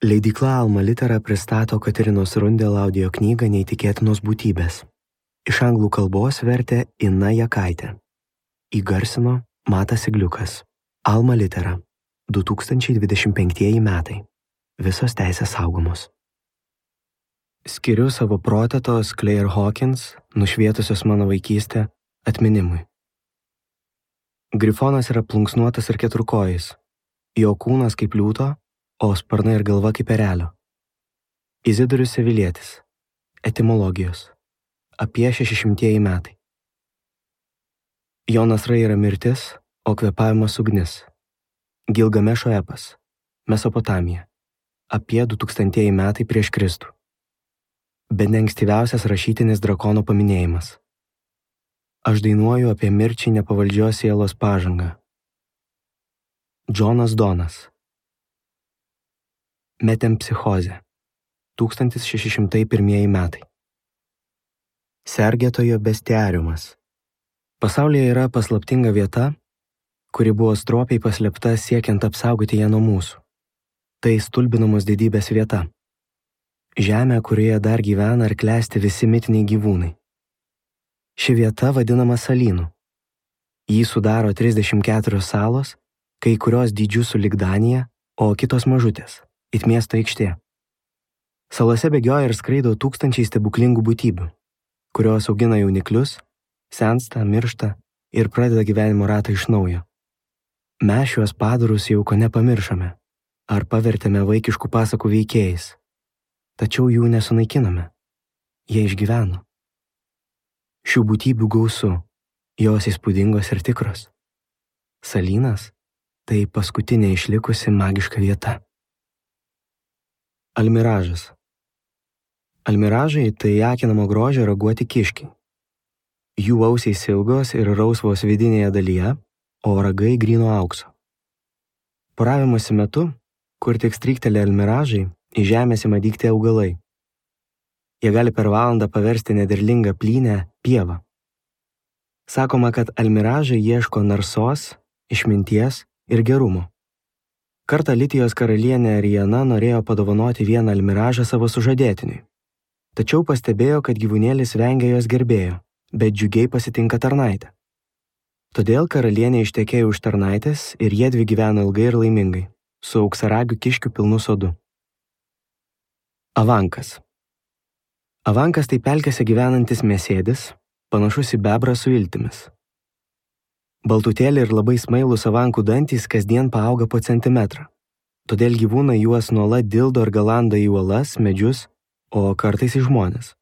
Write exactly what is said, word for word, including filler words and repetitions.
Leidykla Alma Litera pristato Katerinos Rundel audio knygą Neįtikėtinos būtybės. Iš anglų kalbos vertė Ina Jakaitė. Įgarsino Matas Igliukas. Alma Litera. du tūkstančiai dvidešimt penktieji metai. Visos teisės saugomos. Skiriu savo protetos Claire Hawkins, nušvietusios mano vaikystę, atminimui. Grifonas yra plunksnuotas ir keturkojis. Jo kūnas kaip liūto, o sparnai ir galva kaip erelio. Izidorius Sevilietis. Etimologijos. Apie šešišimtieji metai. Jo nasrai yra mirtis, o kvėpavimas ugnis. Gilgamešo epas. Mesopotamija. Apie du tūkstantieji metai prieš Kristų. Bene ankstyviausias rašytinis drakono paminėjimas. Aš dainuoju apie mirčiai nepavaldžios sielos pažangą. Džonas Donas. Metempsichozė. tūkstantis šeši šimtai pirmieji metai. Sergėtojo bestiariumas. Pasaulyje yra paslaptinga vieta, kuri buvo stropiai paslėpta siekiant apsaugoti ją nuo mūsų. Tai stulbinamos didybės vieta. Žemė, kurioje dar gyvena ir klesti visi mitiniai gyvūnai. Ši vieta vadinama salynu. Jį sudaro trisdešimt keturios salos, kai kurios dydžių sulig Danija, o kitos mažutės, it miesto aikštė. Salose bėgioja ir skraido tūkstančiai stebuklingų būtybių, kurios augina jauniklius, sensta, miršta ir pradeda gyvenimo ratą iš naujo. Mes šiuos padarus jau ko nepamiršome, ar pavertėme vaikiškų pasakų veikėjais, tačiau jų nesunaikiname. Jie išgyveno. Šių būtybių gausu, jos įspūdingos ir tikros. Salynas – tai paskutinė išlikusi magiška vieta. Almiražas. Almiražai – tai akinamo grožio raguoti kiškiai. Jų ausiais ilgos ir rausvos vidinėje dalyje, o ragai gryno aukso. Poravimosi metu, kur tik stryktelė almiražai, į žemės ima dygti augalai. Jie gali per valandą paversti nederlingą plynę pievą. Sakoma, kad almiražai ieško narsos, išminties ir gerumo. Kartą Litijos karalienė Ariana norėjo padovanoti vieną almiražą savo sužadėtiniui. Tačiau pastebėjo, kad gyvūnėlis vengia jos gerbėjo, bet džiugiai pasitinka tarnaitę. Todėl karalienė ištekėjo už tarnaitės ir jiedvi gyveno ilgai ir laimingai, su auksaragių kiškių pilnu sodu. Avankas. Avankas tai pelkėse gyvenantis mėsėdis, panašus į bebrą su iltimis. Baltutėlį ir labai smailūs avankų dantys kasdien paauga po centimetrą, todėl gyvūnai juos nuolat dildo ir galanda į uolas, medžius, o kartais į žmones.